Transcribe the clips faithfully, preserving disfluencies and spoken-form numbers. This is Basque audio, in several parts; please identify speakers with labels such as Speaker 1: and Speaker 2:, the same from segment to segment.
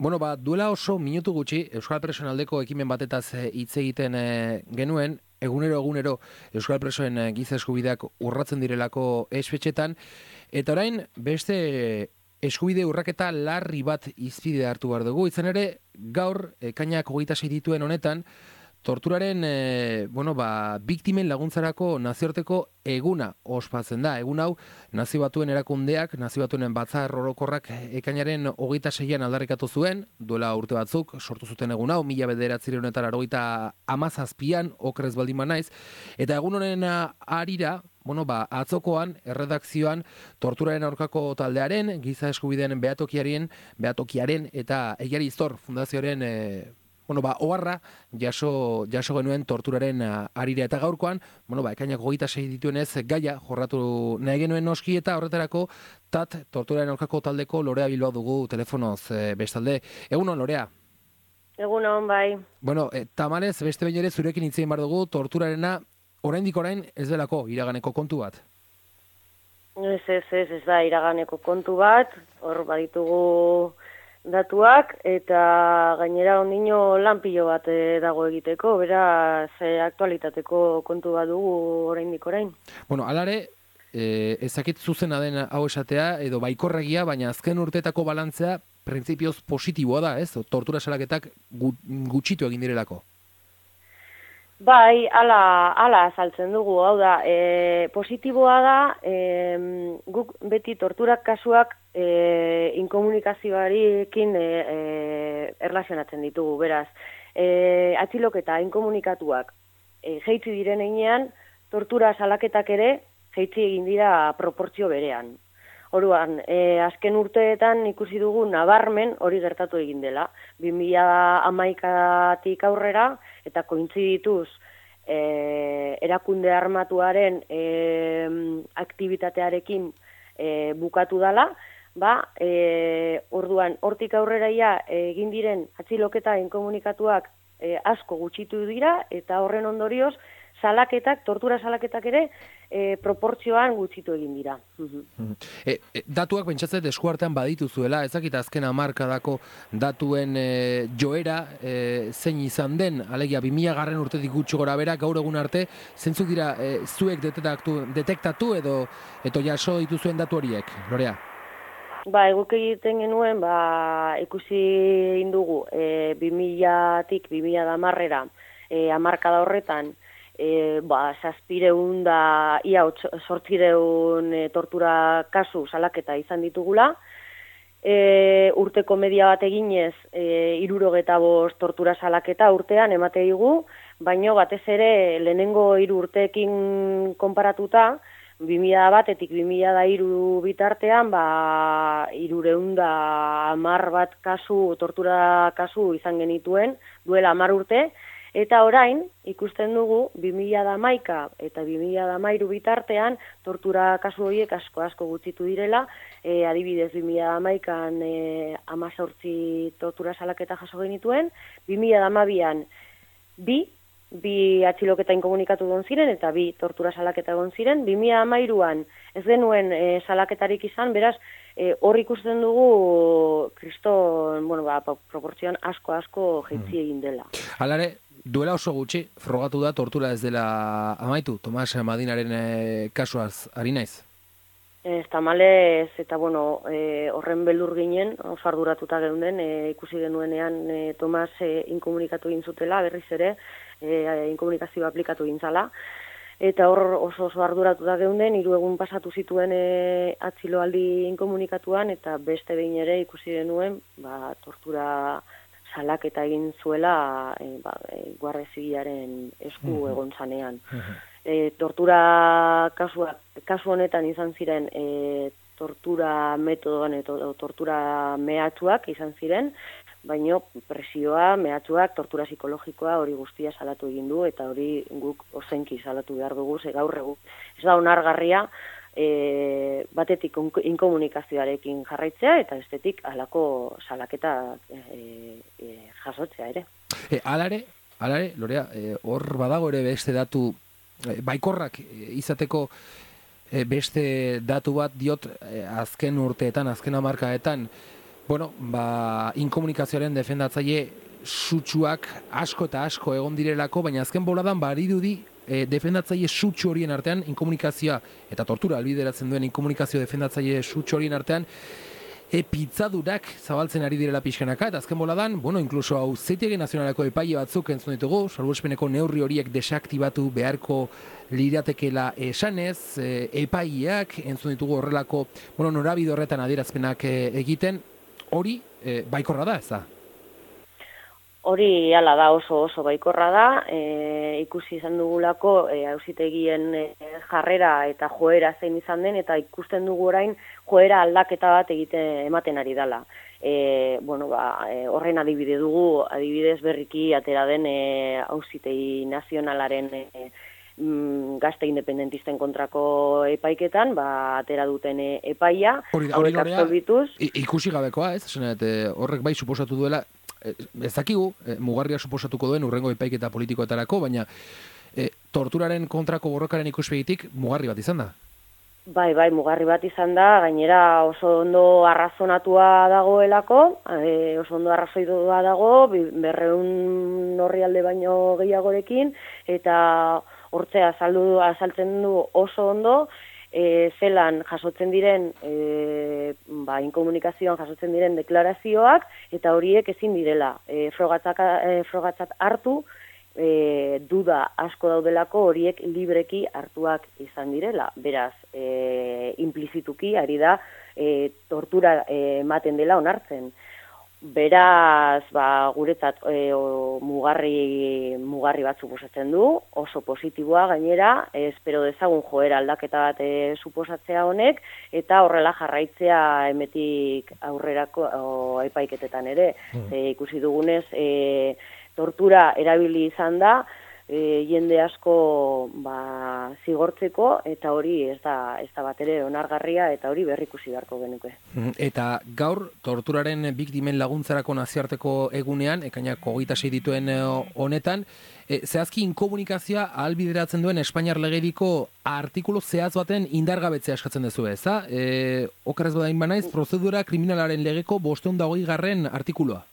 Speaker 1: Bueno, ba, duela oso minutu gutxi, Euskal Presoen aldeko ekimen batetaz hitz egiten e, genuen, egunero egunero Euskal Presoen e, giza eskubideak urratzen direlako espetxetan, eta orain beste eskubide urraketa larri bat hizpide hartu behar dugu. Izan ere, gaur, ekainak hogeita sei dituen honetan, torturaren e, bueno, ba, biktimen laguntzarako nazioarteko eguna ospatzen da. Egun hau, nazio batuen erakundeak, nazio batuen batzar orokorrak ekainaren hogeita seian aldarrikatu zuen, duela urte batzuk, sortu zuten egun hau, mila bederatzireun eta laurogeita hamazazpian, okrez baldin banaiz, eta egun honen harira, bueno, ba, atzokoan, erredakzioan, torturaren aurkako taldearen, giza eskubideen behatokiaren, behatokiaren eta Egiari Iztor Fundazioaren e, bueno, ba, oharra jaso, jaso genuen torturaren harira eta gaurkoan, bueno, ba, ekainak hogeita sei dituenez gaia jorratu nahi genuen noski eta horretarako tat torturaren aurkako taldeko Lorea Bilbao dugu telefonoz e, bestalde. Egunon, Lorea?
Speaker 2: Egunon, bai.
Speaker 1: Bueno, e, tamalez, beste behin ere zurekin hitz egin behar dugu torturarena oraindik orain ez delako iraganeko kontu bat.
Speaker 2: Ez, ez, ez, ez da iraganeko kontu bat, hor baditugu datuak, eta gainera ondino lanpilo bat e, dago egiteko, beraz e, aktualitateko kontu bat dugu oraindik orain.
Speaker 1: Bueno, alare, e, ezakit zuzena den hau esatea, edo baikorregia, baina azken urteetako balantzea printzipioz positiboa da, ez? Tortura salaketak gutxitu egin direlako.
Speaker 2: Bai, ala, ala azaltzen dugu, hau da, e, positiboa da, e, guk beti torturak kasuak e, inkomunikazioarekin e, e, erlazionatzen ditugu, beraz, e, atxiloketa inkomunikatuak e, jeitzi diren heinean, tortura salaketak ere jeitzi egin dira proportzio berean. Oruan, e, azken urteetan ikusi dugu nabarmen hori gertatu egin dela. bi mila hamaikatik aurrera, eta kointzidituz e, erakunde armatuaren e, aktibitatearekin e, bukatu dela, ba, e, orduan, hortik aurrera ja, egin diren atxiloketa inkomunikatuak e, asko gutxitu dira, eta horren ondorioz, salaketak, tortura salaketak ere, e, proportzioan gutxitu egin dira.
Speaker 1: E, e, datuak pentsatzet eskuartean baditu zuela, ezakita azken hamarkadako datuen e, joera e, zein izan den, alegia bi mila garren urtetik gutxi gora bera, gaur egun arte, zentzuk dira e, zuek detektatu, detektatu edo eto jaso dituzuen datu horiek, Lorea?
Speaker 2: Ba, eguk egiten genuen, ba, ikusi indugu, e, bi milatik bi mila hamarrera, e, hamarkada horretan, E, ba, zazpireun da, ia sortzireun e, tortura kasu salaketa izan ditugula. E, urteko media bat eginez, e, irurogeta bost tortura salaketa urtean emate digu, baino batez ere lehenengo hiru urteekin konparatuta, bi mila batetik bi mila hiru bitartean, ba, irureun da hamar bat kasu, tortura kasu izan genituen, duela hamar urte, eta orain, ikusten dugu, bi mila hamaika eta bi mila hamairu bitartean, tortura kasu horiek asko asko gutxitu direla, e, adibidez bi mila hamaikan e, hamazortzi tortura salaketa jaso genituen, bi mila hamabian bi, bi atxiloketa inkomunikatu egon ziren, eta bi tortura salaketa egon ziren, bi mila hamairuan ez genuen e, salaketarik izan, beraz, e, hor ikusten dugu kriston, bueno, ba, proportzioan asko asko jeitzi egin dela.
Speaker 1: Halare, duela oso gutxi, frogatu da tortura ez dela amaitu, Tomas Madinaren e, kasuaz, ari naiz?
Speaker 2: Ez tamalez, eta bueno, e, horren beldur ginen, oso arduratuta geunden, e, ikusi genuenean e, Tomas e, inkomunikatu egin zutela, berriz ere, e, inkomunikazioa aplikatu egin zala, eta hor oso oso arduratuta geunden, hiru egun pasatu zituen e, atxiloaldi inkomunikatuan, eta beste behin ere ikusi genuen, ba, tortura salaketa egin zuela e, ba, e, Guardia Zibilaren esku egon zanean. E, tortura kasua, kasu honetan izan ziren e, tortura metodoan edo tortura mehatxuak izan ziren, baino presioa, mehatxuak, tortura psikologikoa hori guztia salatu egin du, eta hori guk ozenki salatu behar dugu, ze gaur egu. Ez da onargarria, E, batetik inkomunikazioarekin jarraitzea eta bestetik halako salaketa e, e, jasotzea ere.
Speaker 1: E, alare, alare, Lorea, e, hor badago ere beste datu e, baikorrak e, izateko e, beste datu bat diot e, azken urteetan, azken hamarkaetan Bueno, ba, inkomunikazioaren defendatzaile sutsuak asko eta asko egon direlako, baina azken boladan barirudi e, defendatzaile sutsu horien artean inkomunikazioa eta tortura albideratzen duen inkomunikazio defendatzaile sutsu horien artean e, pizzadurak zabaltzen ari direla pixkanaka, eta azken boladan, bueno, inkluso Auzitegi Nazionaleko epaile batzuk entzun ditugu, salbuespeneko neurri horiek desaktibatu beharko liratekela esanez, e, epaileak entzun ditugu horrelako, bueno, norabide horretan adierazpenak e, egiten, hori e, baikorra da, ez da?
Speaker 2: Hori hala da, oso oso baikorra da, e, ikusi izan dugulako e, auzitegien e, jarrera eta joera zein izan den, eta ikusten dugu orain joera aldaketa bat egiten ematen ari dela. E, bueno, ba, e, horren adibide dugu, adibidez berriki atera den e, auzitegi nazionalaren e, mm, gazte independentisten kontrako epaiketan, ba, atera duten e, epaia, hauek absolbituz.
Speaker 1: Ikusi gabekoa, ez? Zenet, horrek bai suposatu duela, ez dakigu, e, mugarria suposatuko duen urrengo epaiketa politikoetarako, baina e, torturaren kontrako borrokaren ikuspegitik mugarri bat izan da.
Speaker 2: Bai, bai, mugarri bat izan da, gainera oso ondo arrazonatua dagoelako, e, oso ondo arrazoitua dago, berreun orrialde baino gehiagorekin, eta hortzea azaldu, azaltzen du oso ondo, E, zelan jasotzen diren, e, ba, inkomunikazioan jasotzen diren deklarazioak, eta horiek ezin direla e, frogatzak, e, frogatzat hartu, e, duda asko daudelako horiek libreki hartuak izan direla. Beraz, e, implizituki ari da e, tortura ematen dela onartzen. Beraz, ba, guretzat e, o, mugarri, mugarri bat suposatzen du, oso positiboa gainera, e, espero dezagun joera aldaketa bat e, suposatzea honek, eta horrela jarraitzea emetik aurrerako o, epaiketetan ere. Mm. E, ikusi dugunez, e, tortura erabili izan da, E, jende asko ba, zigortzeko, eta hori ez da, ez da bat ere onargarria, eta hori berrikusi beharko genuke.
Speaker 1: Eta gaur, torturaren biktimen laguntzarako nazioarteko egunean, ekainak hogeita sei dituen honetan, e, zehazki inkomunikazioa ahalbideratzen duen Espainiar legediko artikulu zehaz baten indargabetzea eskatzen duzu, ez da? E, okerrez badain banaiz, prozedura kriminalaren legeko bosteun da hogei garren artikulua.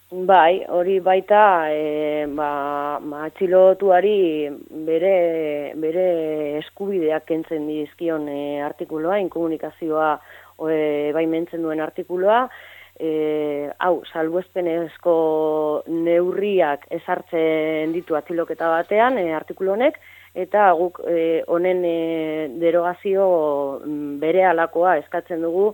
Speaker 2: Bai, hori baita e, ba, ma, atxilotuari bere, bere eskubideak kentzen dizkion e, artikuloa, inkomunikazioa e, baimentzen duen artikuloa, e, hau, salbuespenezko neurriak ezartzen ditu atxiloketa batean, e, artikulu honek, eta guk e, honen e, derogazio bere alakoa eskatzen dugu,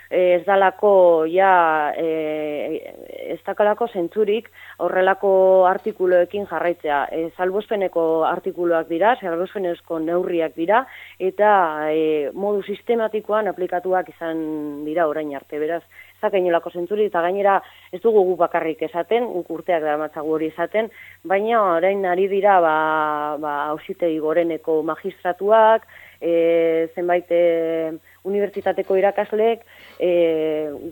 Speaker 2: ez dalako ja e, ez dakalako zentzurik horrelako artikuloekin jarraitzea. E, salbuespeneko artikuluak dira, salbuespenezko neurriak dira, eta e, modu sistematikoan aplikatuak izan dira orain arte, beraz, ez dakainolako zentzurik, eta gainera ez dugu gu bakarrik esaten, guk urteak daramatzagu hori esaten, baina orain ari dira ba, ba, auzitegi goreneko magistratuak, e, zenbait e, unibertsitateko irakasleek e,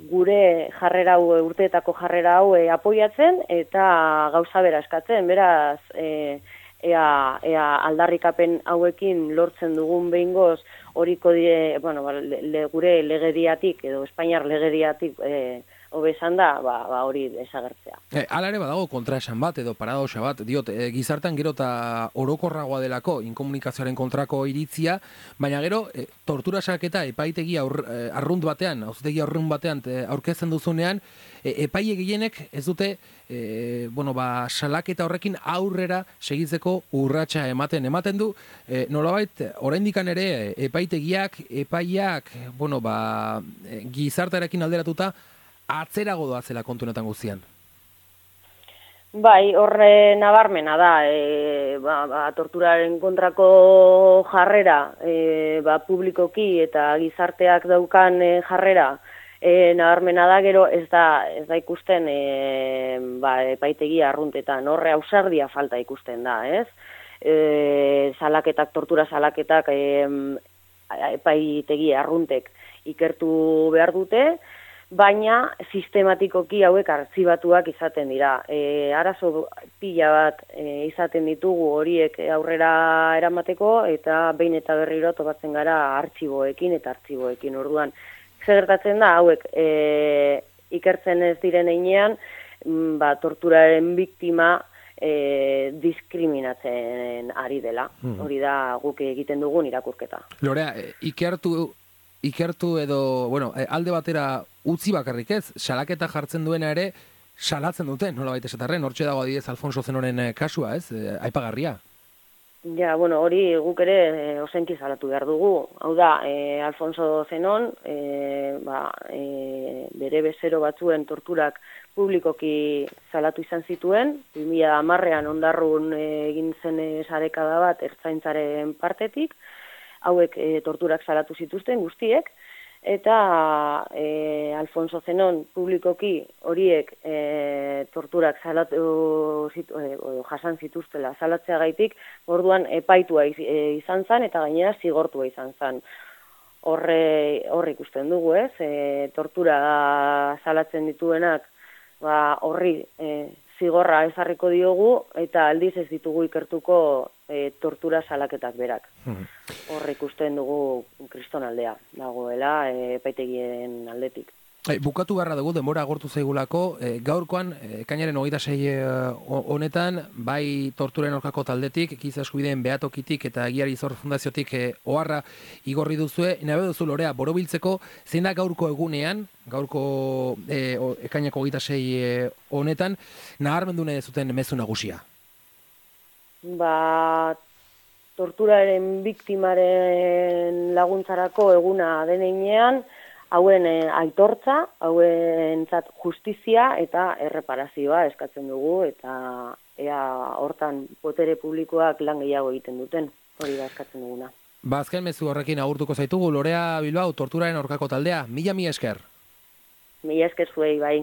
Speaker 2: gure jarrera hau, urteetako jarrera hau e, apoiatzen eta gauza bera eskatzen, beraz e, ea, ea aldarrikapen hauekin lortzen dugun behingoz horiko die, bueno, le, le, gure legediatik edo Espainiar legediatik e, hobesan da, ba, ba hori desagertzea.
Speaker 1: E, Hala ere badago kontraesan bat edo paradoxa bat, diot, e, gizartean gero eta orokorragoa delako inkomunikazioaren kontrako iritzia, baina gero e, tortura salaketa epaitegi aur, e, arrunt batean, auzitegi arrunt batean e, aurkezten duzunean, e, epaile gehienek ez dute e, bueno, ba, salaketa horrekin aurrera segitzeko urratsa ematen ematen du, e, nolabait oraindikan ere epaitegiak, epaiak, bueno, ba, gizartearekin alderatuta atzerago doazela kontu honetan guztian.
Speaker 2: Bai, horre nabarmena da, e, ba, ba, torturaren kontrako jarrera, e, ba, publikoki eta gizarteak daukan e, jarrera, e, nabarmena da, gero ez da, ez da ikusten e, ba, epaitegi arruntetan, horre ausardia falta ikusten da, ez? E, salaketak, tortura salaketak e, epaitegi arruntek ikertu behar dute, baina sistematikoki hauek artxibatuak izaten dira. E, arazo pila bat e, izaten ditugu horiek aurrera eramateko, eta behin eta berriro topatzen gara artxiboekin eta artxiboekin. Orduan, zer gertatzen da hauek e, ikertzen ez diren einean, ba, torturaren biktima e, diskriminatzen ari dela. Mm. Hori da guk egiten dugun irakurketa.
Speaker 1: Lorea, ikertu, ikertu edo, bueno, alde batera utzi bakarrik ez, salaketa jartzen duena ere, salatzen duten, nola baita esatarren, hortxe dago adidez Alfonso Zenoren kasua, ez, aipagarria.
Speaker 2: Ja, bueno, hori guk ere e, osenki salatu behar dugu. Hau da, e, Alfonso Zenon, e, ba, e, bere bezero batzuen torturak publikoki salatu izan zituen, bi mila hamarrean ondarrun egin zen sarekada bat ertzaintzaren partetik, hauek e, torturak salatu zituzten guztiek, eta e, Alfonso Zenon publikoki horiek e, torturak salatu zitu, e, jasan zituztela salatzeagaitik, orduan epaitua iz, e, izan zen eta gainera zigortua izan zen. Horre, horre ikusten dugu, ez? E, tortura salatzen dituenak ba, horri e, zigorra ezarriko diogu eta aldiz ez ditugu ikertuko e, tortura salaketak berak. Horre ikusten dugu kristonaldea dagoela e, epaitegien aldetik.
Speaker 1: E, bukatu beharra dugu, denbora agortu zaigulako, e, gaurkoan, ekainaren hogeita sei honetan, bai torturen aurkako taldetik, giza eskubideen behatokitik eta Egiari Zor Fundaziotik e, oharra igorri duzue, nabe duzu Lorea, borobiltzeko, zein da gaurko egunean, gaurko e, o, ekainako hogeita sei honetan, nabarmendu nahi zuten mezu nagusia?
Speaker 2: Ba, torturaren biktimaren laguntzarako eguna denean, hauen eh, aitortza, hauen zat justizia eta erreparazioa eskatzen dugu, eta ea hortan botere publikoak lan gehiago egiten duten, hori da eskatzen duguna.
Speaker 1: Ba, azken mezu horrekin agurtuko zaitugu, Lorea Bilbao, torturaren aurkako taldea, mila mila esker.
Speaker 2: Mila esker zuei, bai.